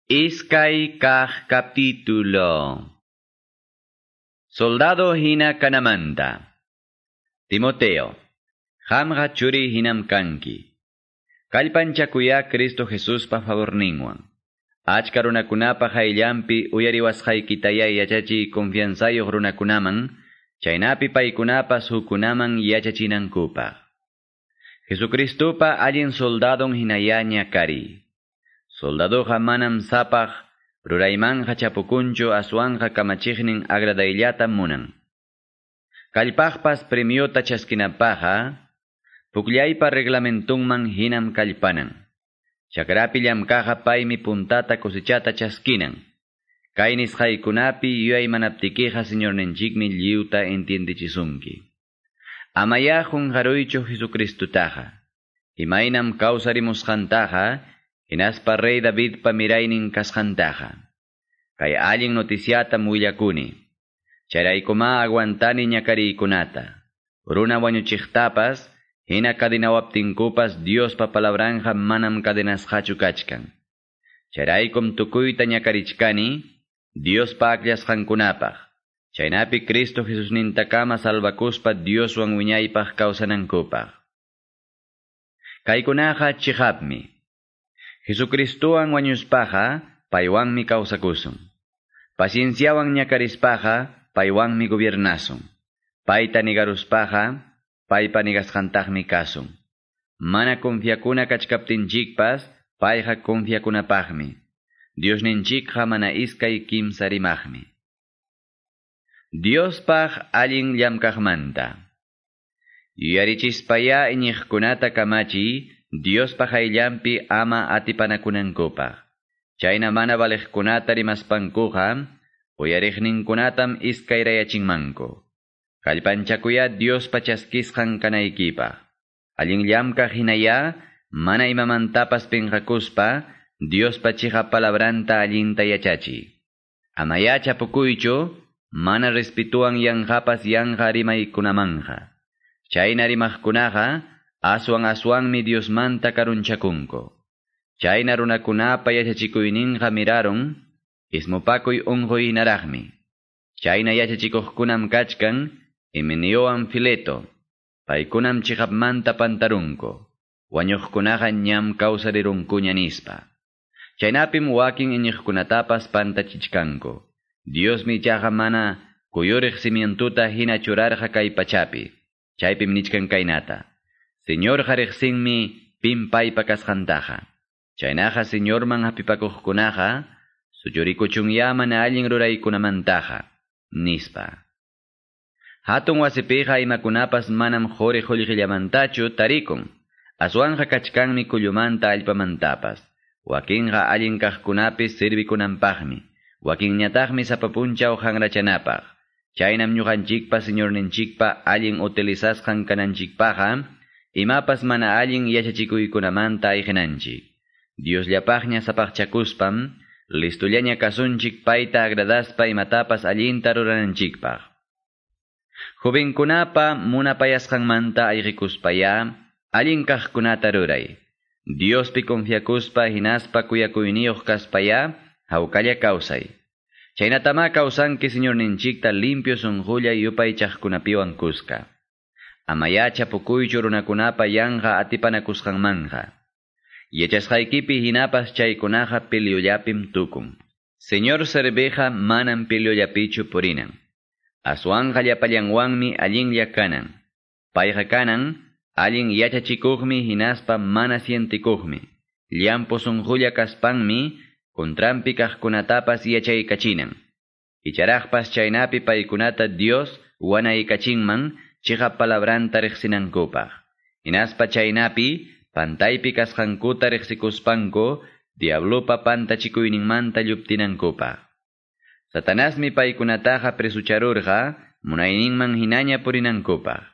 Iskay kaq capítulo. Soldado hina kanamanta. Timoteo. Qamqa churi hinam kanki. Kallpanchakuya Cristo Jesuspa favorninwan. Achka runakunapa hayllanpi uyariwasqaykitaya yachachiy confianzayuq runakunaman, chaynapi paykunapas hukkunaman yachachinankupaq. Jesucristopa allin soldadon hinayaña kari. Soldadoqa manam sapaq ruraymanja chapukunchu aswanja kamachiqnin agradayllata munan. Kallpaqpas premiota chaskinapaqqa, pukllaypa reglamentunman hinam kallpanan. Chakrapi llamkaqqa paymi puntata cosechata chaskinan. Kay nisqaykunapi yuyaymanaptikiqa Señorninchikmi lliwta entiendechisunki. Amaya qunqaruychu Jesucristutaqa. Imaynam kawsarimusqantaqa, hinaspa rey Davidpa miraynin kasqantaqa. Kay allin noticiatam willakuni. Chayraykuma aguantani ñakariykunata. Runa wañuchiqtapas, hina kadenawaptinkupas Diospa palabranja manam cadenasqachu kachkan. Chayraykum tukuyta ñakarichkani, Diospa akllasqankunapaq. Chaynapi Cristo Jesusnintakama salvakuspa Dioswan wiñaypaq kawsanankupaq. Kaykunaqa chiqapmi. Jesucristowan wañuspaqa, paywanmi kawsakusun. Pacienciawan ñakarispaqa, paywanmi gobiernasun. Payta nigaruspaqa, paypa nigasqantaqmi kasun. Mana confiakuna kachkaptinchikpas, payqa confiakunapaqmi. Diosninchikqa mana iskay kimsa rimaqmi. Diospaq allin llamkaqmanta. Yuyarichispaya iñiqkunata kamachiy, Diospa hayllanpi ama atipanakunankupaq. Chayna mana valiqkunata rimaspankuqa, uyariqninkunatam iskayrayachinmanku. Kallpanchakuya Diospa chaskisqan kanaykipaq. Allin llamkaq hinaya, mana imamantapas pinqakuspa, Diospa chiqa palabranta allinta yachachiy. Amaya chapukuychu, mana respituan yanqapas yanqa rimaykunamanja. Chayna rimaqkunaqa, aswan aswanmi Diosmanta karunchakunku. Chayna runakunapa yachachikuyninqa mirarun, ismupakuy unquy hinaraqmi. Chayna yachachikuqkunam kachkan, Himeneowan Fileto, paykunam chiqapmanta pantarunku. Wañuqkunaqa ñam kawsarirunkuña nispa. Chaynapim wakin iñiqkunatapas pantachichkanku. Diosmi ichaqa mana kuyuriq cimientuta hina churarqa kay pachapi. Chaypim nichkan kaynata. Señorqa riqsinmi pim paypa kasqantaqa. Chaynaqa Señorman hapipakuqkunaqa suchurikuchunya mana allin ruraykunamantaqa, nispa. Hatun wasipiqa imakunapas manam quri qullqillamantachu tarikun. Aswanja kachkanmi kullumanta allpamantapas. Wakinqa allin kaqkunapis sirvikunanpaqmi. Wakinñataqmi sapa punchaw hanrachanapaq. Chaynam ñuqanchikpa Señorninchikpa allin utilizasqan kananchikpaqqa, imapas mana allin yachachikuykunamanta ayqinanchik. Diosllapaqña sapaqchakuspam, listullaña kasunchik payta agradaspa imatapas allinta rurananchikpaq. Jovenkunapa munapayasqanmanta ayqikuspaya, allin kaqkunata ruray. Diospi confiakuspa hinaspa kuyakuyniyuq kaspaya, hawkalla kawsay. Chaynatama kawsanki Señorninchikta limpio sunqulla yupaychaqkunapiwan kuska. Amaya chapukuychu runakunapa yanqa atipanakusqanmanja. Yachasqaykipi hinapas chaykunaqa piliullapim tukun. Señor serviqa manam piliullapichu purinan. Aswanja llapallanwanmi allinlla kanan. Payqa kanan, allin yachachikuqmi hinaspa mana sientikuqmi. Llampu sunqulla kaspanmi, kontranpi kaqkunatapas yachaykachinan. Icharaqpas chaynapi paykunata Dios wanaykachinman chiqap palabranta riqsinankupaq. Hinaspa chaynapi pantaypi kasqankuta riqsikuspanku diablopa pantachikuyninmanta lluptinankupaq. Satanasmi paykunataqa presucharurqa munayninman hinaña purinankupaq.